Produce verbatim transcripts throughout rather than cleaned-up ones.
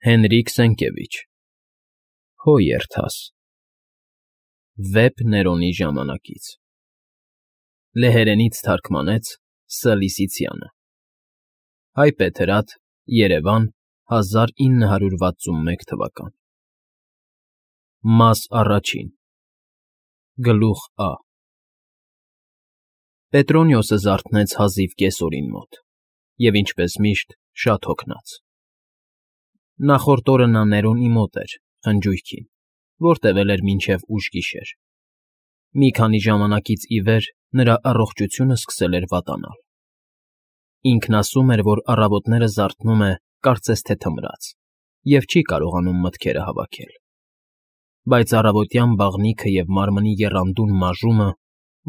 Հենրիկ Սենկևիչ Հո երթաս Վեպ Ներոնի ժամանակից Լեհերենից թարգմանեց Ս. Լիսիցյանը Հայբեթրատ, Երևան, հազար ինը հարյուր վաթսունմեկ թվական Մաս առաջին Գլուխ Ա Պետրոնիոսը զարթնեց հազիվ կեսօրին մոտ և, ինչպես միշտ, շատ հոգնած. Նախորդ օրը նա Ներոնի մոտ էր, խնջույքին, որ տևել էր մինչև ուշ գիշեր. մի քանի ժամանակից ի վեր նրա առողջությունը սկսել էր վատանալ. ինքն ասում էր, որ առավոտները զարթնում է կարծես թե թմրած և չի կարողանում մտքերը հավաքել, բայց առավոտյան բաղնիքը և մարմնի եռանդուն մաժումը,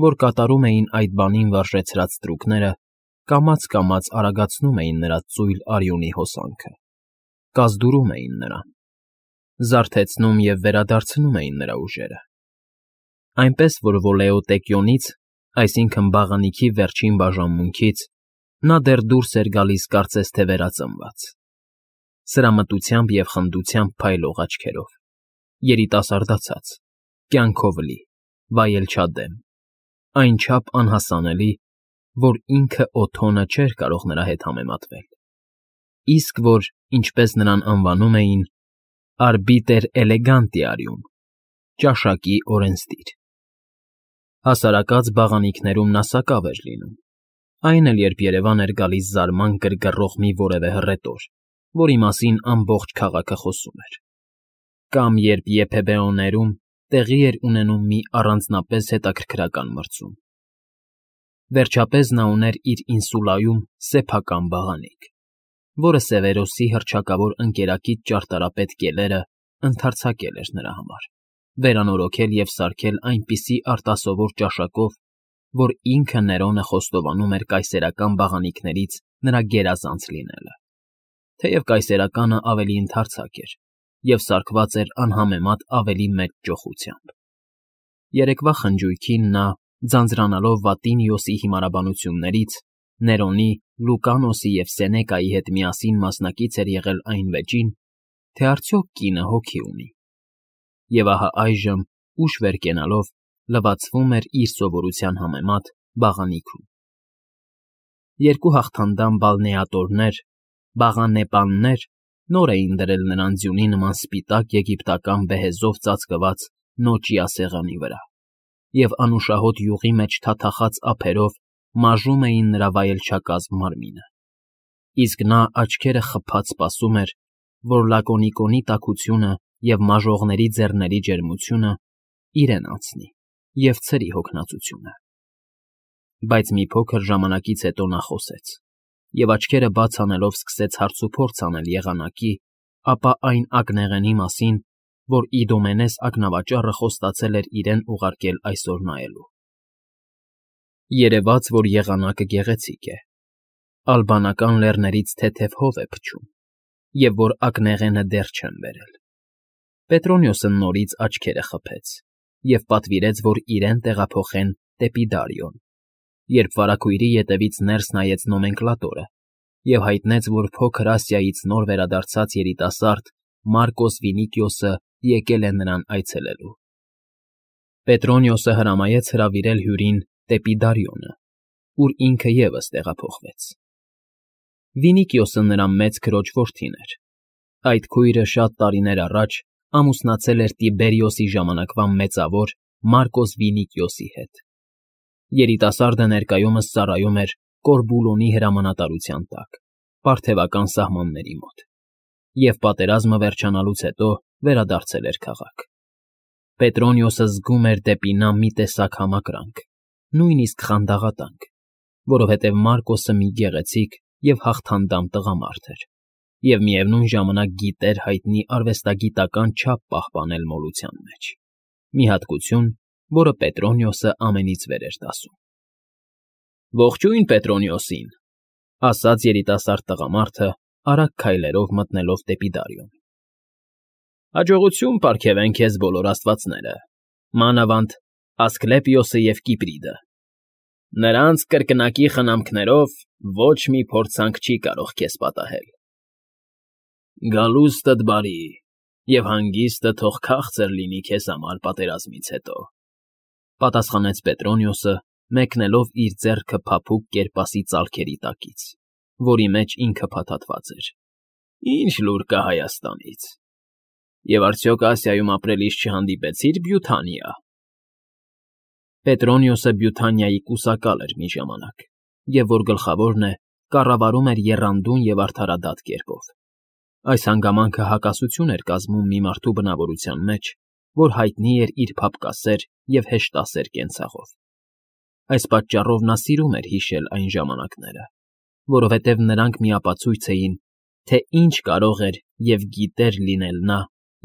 որ կատարում էին այդ բանին վարժեցրած ստրուկները, կամաց֊կամաց արագացնում էին նրա ծույլ արյունի հոսանքը, կազդուրում էին նրան, զարթեցնում և վերադարձնում էին նրա ուժերը, այնպես որ վոլեոտեկիոնից, այսինքն՝ բաղանիքի վերջին բաժանմունքից, նա դեռ դուրս էր գալիս կարծես թե վերածնված, սրամտությամբ և խնդությամբ փայլող աչքերով, երիտասարդացած, կյանքով լի, վայելչադեմ, այնչափ անհասանելի, որ ինքը Օթոնը չէր կարող նրա հետ համեմատվել, իսկ որ, ինչպես նրան անվանում էին, արբիտր էլեգանտիարիում, ճաշակի օրենսդիր. հասարակած բաղանիքներում նա սակավ էր լինում, այն էլ երբ երևան էր գալիս զարման գրգռող մի որևէ հռետոր, որի մասին ամբողջ քաղաքը խոսում էր, կամ երբ Եփեբեոներում տեղի էր ունենում մի առանձնապես հետաքրքրական մրցում. վերջապես նա ուներ իր ինսուլայում սեփական բաղանիք, որը Սևերոսի հռչակավոր ընկերակից ճարտարապետ Կելերը ընդարձակել էր նրա համար, վերանորոգել և սարքել այնպիսի արտասովոր ճաշակով, որ ինքը Ներոնը խոստովանում էր կայսերական բաղանիքներից նրա գերազանց լինելը, թեև կայսերականը ավելի ընդարձակ էր և սարքված էր անհամեմատ ավելի մեծ ճոխությամբ. երեկվա խնջույքին նա, ձանձրանալով Վատինիոսի հիմարաբանություններից, Ներոնի, Լուկանոսի և Սենեկայի հետ միասին մասնակից էր եղել այն վեճին, թե արդյոք կինը հոգի ունի, և ահա այժմ, ուշ վեր կենալով, լվացվում էր իր սովորության համեմատ բաղանիքում. երկու հաղթանդամ բալնեատորներ, բաղանեպաններ նոր էին դրել նրան ձյունի նման սպիտակ եգիպտական բեհեզով ծածկված նոճիա սեղանի վրա և անուշահոտ յուղի մեջ թաթախած ափերով մաժում էին նրա վայելչակազմ մարմինը, իսկ նա աչքերը խփած սպասում էր, որ Լակոնիկոնի տաքությունը և մաժողների ձեռների ջերմությունը իրեն անցնի և ցրի հոգնածությունը. բայց մի փոքր ժամանակից հետո նա խոսեց և աչքերը բաց անելով սկսեց հարցուփորձ անել եղանակի, ապա այն ակնեղենի մասին, որ Իդոմենես ակնավաճառը խոստացել էր իրեն ուղարկել այսօր նայելու. երևաց, որ եղանակը գեղեցիկ է, ալբանական լեռներից թեթև հով է փչում, և որ ակնեղենը դեռ չեն բերել. Պետրոնիոսը նորից աչքերը խփեց և պատվիրեց, որ իրեն տեղափոխեն դեպի Դարիոն, երբ վարագույրի ետևից ներս նայեց նոմենկլատորը և հայտնեց, որ Փոքր Ասիայից նոր վերադարձած երիտասարդ Մարկոս Վինիկիոսը եկել է նրան այցելելու. Պետրոնիոսը հրամայեց հրավիրել հյուրին դեպի Դարիոնը, ուր ինքը ևս տեղափոխվեց. Վինիկիոսը նրա մեծ քրոջ որդին էր, այդ քույրը շատ տարիներ առաջ ամուսնացել էր Տիբերիոսի ժամանակվա մեծավոր Մարկոս Վինիկիոսի հետ, երիտասարդը ներկայումս ծառայում էր Կորբուլոնի հրամանատարության տակ, պարթևական սահմանների մոտ, և պատերազմը վերջանալուց հետո վերադարձել էր քաղաք. Պետրոնիոսը զգում էր դեպի նա մի տեսակ համակրանք, նույնիսկ խանդաղատանք, որովհետև Մարկոսը մի գեղեցիկ և հաղթանդամ տղամարդ էր և միևնույն ժամանակ գիտեր հայտնի արվեստագիտական չափ պահպանել մոլության մեջ, մի հատկություն, որը Պետրոնիոսը ամենից վեր էր դասում։ «Ողջույն Պետրոնիոսին», ասաց երիտասարդ տղամարդը, արագ քայլերով մտնելով դեպի Դարիոն։ «Հաջողություն պարգևեն քեզ բոլոր աստվածները, մանավանդ Ասկլեպիոսը և Կիպրիդը. նրանց կրկնակի խնամքներով ոչ մի փորձանք չի կարող քեզ պատահել»։ Գալուստդ բարի, և հանգիստը թող քաղցր լինի քեզ համար պատերազմից հետո, ֊ պատասխանեց Պետրոնիոսը, մեկնելով իր ձեռքը փափուկ կերպասի ծալքերի տակից, որի մեջ ինքը փաթաթված էր։ ֊ Ի՞նչ լուր կա Հայաստանից։ Եվ արդյոք Ասիայում ապրելիս չհանդիպեցի՞ր Բյութանիա։ Պետրոնիոսը Բյութանիայի կուսակալ էր մի ժամանակ, և որ գլխավորն է, կառավարում էր եռանդուն և արդարադատ կերպով։ Այս հանգամանքը հակասություն էր կազմում մի մարդու բնավորության մեջ, որ հայտնի էր իր փափկասեր և հեշտասեր կենցաղով։ Այս պատճառով նա սիրում էր հիշել այն ժամանակները, որովհետև նրանք միապացույց էին, թե ինչ կարող էր և գիտեր լինել նա,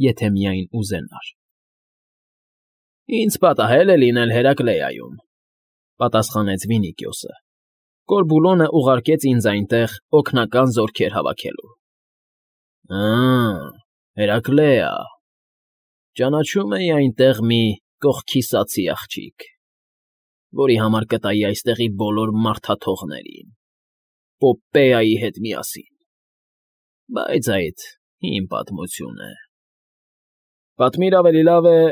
եթե միայն ուզենար։ ֊ Ինձ պատահել է լինել Հերակլեայում, ֊ պատասխանեց Վինիքիոսը։ Կորբուլոնը ուղարկեց ինձ այնտեղ օգնական զորքեր հավաքելու։ ֊ Ա՜, Հերակլեա… Ճանաչում էի այնտեղ մի կողքիսացի աղջիկ, որի համար կտայի այստեղի բոլոր մարդաթողներին, Պոպպեայի հետ միասին… Բայց այդ հին պատմություն է… Պատմիր ավելի լավ է,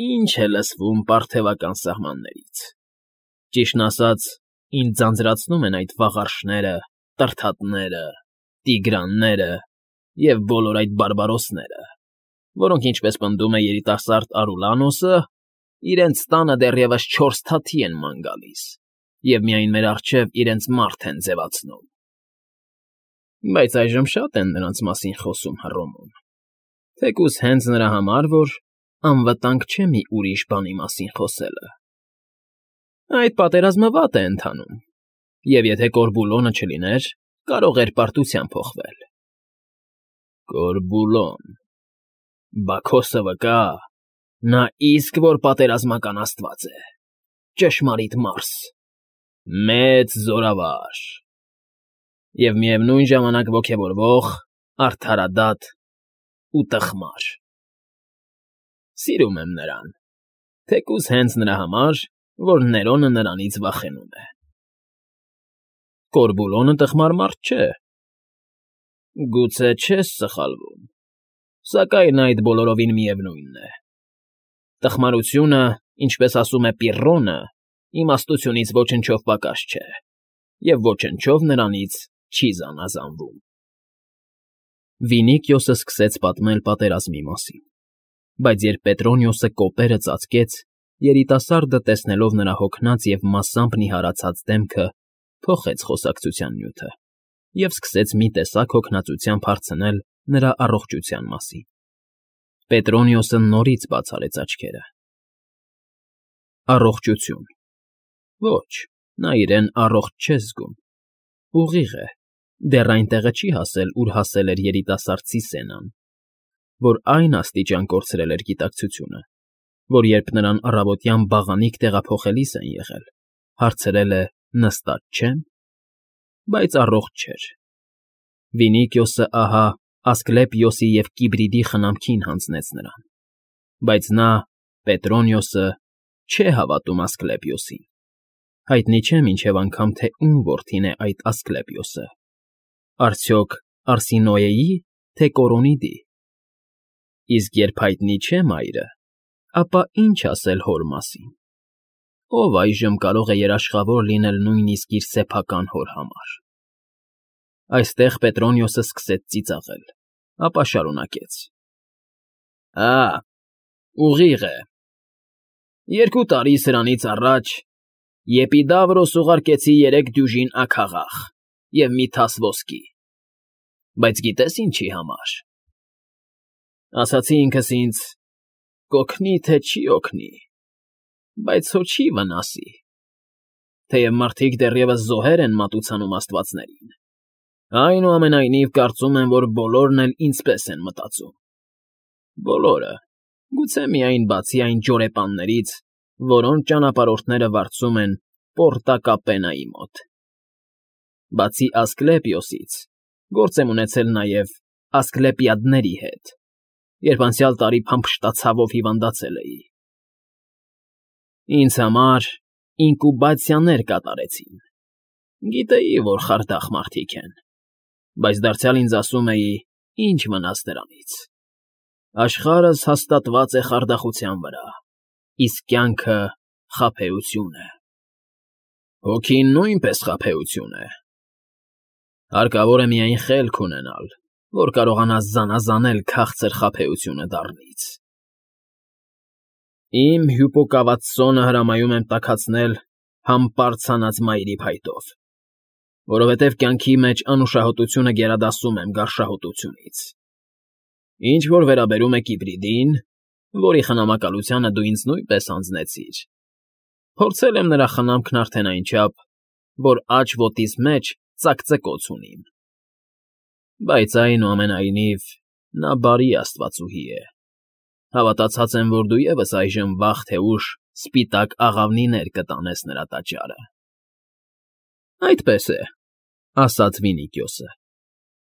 ինչ է լսվում պարթևական սահմաններից… Ճիշտն ասած, ինձ ձանձրացնում են այդ վաղարշները, տրթատները, տիգրանները և բոլոր այդ բարբարոսները, որոնք, ինչպես պնդում է երիտասարդ Արուլանոսը, իրենց տանը դեռևս չորս թաթի են ման գալիս և միայն մեր առջև իրենց մարդ են ձևացնում… Բայց այժմ շատ են նրանց մասին խոսում Հռոմում, թեկուզ հենց նրա համար, որ անվտանգ չէ մի ուրիշ բանի մասին խոսելը… Այդ պատերազմը վատ է ընթանում, և եթե Կորբուլոնը չլիներ, կարող էր պարտության փոխվել։ ֊ Կորբուլոն… Բաքոսը վկա, նա իսկ որ պատերազմական աստված է, ճշմարիտ մարս, մեծ զորավար… Եվ միևնույն ժամանակ ոգևորվող, արդարադատ ու տխմար… Սիրում եմ նրան, թեկուզ հենց նրա համար, որ Ներոնը նրանից վախենում է։ ֊ Կորբուլոնը տխմար մարդ չէ։ ֊ Գուցե չես սխալվում, սակայն այդ բոլորովին միևնույնն է… Տխմարությունը, ինչպես ասում է Պիրռոնը, իմաստությունից ոչնչով պակաս չէ, և ոչնչով նրանից չի զանազանվում… Վինիքիոսը սկսեց պատմել պատերազմի մասին, բայց երբ Պետրոնիոսը կոպերը ծածկեց, երիտասարդը, տեսնելով նրա հոգնած և մասամբ նիհարացած դեմքը, փոխեց խոսակցության նյութը և սկսեց մի տեսակ հոգնածությամբ հարցնել նրա առողջության մասին։ Պետրոնիոսը նորից բաց արեց աչքերը։ ֊ Առողջություն… Ոչ, նա իրեն առողջ չէ զգում… Ուղիղ է, դեռ այնտեղը չի հասել, ուր հասել էր երիտասարդ Սիսենան, որ այն աստիճան կորցրել էր գիտակցությունը, որ երբ նրան առավոտյան բաղանիք տեղափոխելիս են եղել, հարցրել է նստած չե՞մ, բայց առողջ չէր… Վինիքիոսը, ահա, Ասկլեպիոսի և Կիբրիդի խնամքին հանձնեց նրան, բայց նա, Պետրոնիոսը, չէ հավատում Ասկլեպիոսին… Հայտնի չէ մինչև անգամ, թե ում որդին է այդ Ասկլեպիոսը, արդյոք Արսինոեի, թե Կորոնիդի… Իսկ երբ հայտնի չէ մայրը, ապա ինչ ասել հոր մասին… Ո՞վ այժմ կարող է երաշխավոր լինել նույնիսկ իր սեփական հոր համար… Այստեղ Պետրոնիոսը սկսեց ծիծաղել, ապա շարունակեց. ֊ Ա՜, ուղիղ է… Երկու տարի սրանից առաջ Եպիդավրոս ուղարկեցի երեք դյուժին աքաղախ և մի թաս ոսկի, բայց գիտե՞ս ինչի համար… Ասացի ինքս ինձ. կօգնի, թե չի օգնի, բայց հո չի վնասի, թեև մարդիկ դեռևս զոհեր են մատուցանում աստվածներին, այնուամենայնիվ կարծում եմ, որ բոլորն էլ ինձպես են մտածում… Բոլորը, գուցե միայն բացի այն ջորեպաններից, որոնց ճանապարհորդները վարձում են Պորտա Կապենայի մոտ… Բացի Ասկլեպիոսից, գործ եմ ունեցել նաև Ասկլեպիադների հետ, երբ անցյալ տարի փամփշտացավով հիվանդացել էի… Ինձ համար ինկուբացիաներ կատարեցին… Գիտեի, որ խարդախ մարդիկ են, բայց դարձյալ ինձ ասում էի, Ինչ մնաց դրանից։ Աշխարհս հաստատված է խարդախության վրա, իսկ կյանքը խաբեություն է։ Հոգին նույնպես խաբեություն է։ Հարկավոր է միայն խելք ունենալ, որ կարողանաս զանազանել քաղցր խաբեությունը դառնից։ Իմ հյուպոկաված սոնը հրամայում եմ տաքացնել համբարձ հանած մայրի փայտով, որովհետև կյանքի մեջ անուշահոտությունը գերադասում եմ գարշահոտությունից։ Ինչ որ վերաբերում է Կիպրիդին, որի խնամակալությանը դու ինձ նույնպես հանձնեցիր, փորձել եմ նրա խնամքն արդեն այնչափ, որ աջ ոտիս մեջ ծակծկոց ունիմ։ Բայց այնուամենայնիվ նա բարի աստվածուհի է։ Հավատացած եմ, որ դու ևս այժմ վաղ թե ուշ սպիտակ աղավնիներ կտանես նրա տաճարը։ ֊ Այդպես է,֊ ասաց Վինիքիոսը,֊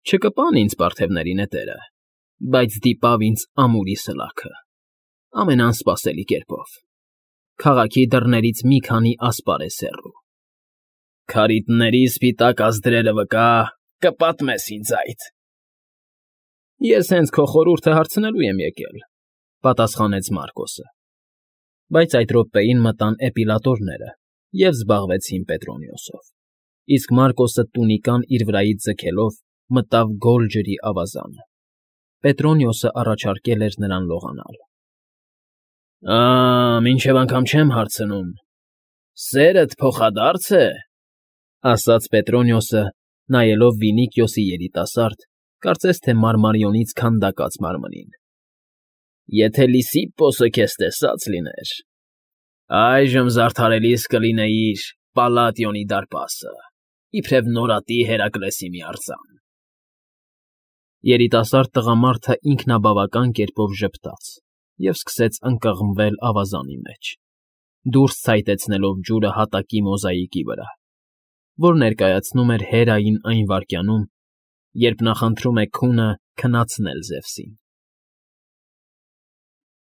չկպան ինձ պարթևների նետերը, բայց դիպավ ինձ ամուրի սլաքը, ամենաանսպասելի կերպով, քաղաքի դռներից մի քանի ասպարեզ հեռու։ Քարիտնների սպիտակ ազդրերը վկա, կպատմես ինձ այդ։ ֊ Ես հենց քո խորհուրդը հարցնելու եմ եկել,֊ պատասխանեց Մարկոսը։ Բայց այդ րոպեին մտան էպիլատորները և զբաղվեցին Պետրոնիոսով, իսկ Մարկոսը տունիկան իր վրայից ձգելով մտավ գոլ ջրի ավազանը։ Պետրոնիոսը առաջարկել էր նրան լողանալ։ ֊ Մինչև անգամ չեմ հարցնում, սերդ փոխադարձ է,֊ ասաց Պետրոնիոսը, նայելով Վինիքիոսի երիտասարդ, կարծես թե մարմարիոնից քանդակած մարմնին։ Եթե Լիսիպպոսը քեզ տեսած լիներ, այժմ զարդարելիս կլինեիր Պալատիոնի դարպասը, իբրև նորատի Հերակլեսի մի արձան։ Երիտասարդ տղամարդը ինքնաբավական կերպով ժպտաց և սկսեց ընկղմվել ավազանի մեջ, դուրս ցայտեցնելով ջուրը հատակի մոզաիկի վրա, որ ներկայացնում էր Հերային այն վայրկյանում, երբ նա խնդրում է քունը քնացնել Զևսին։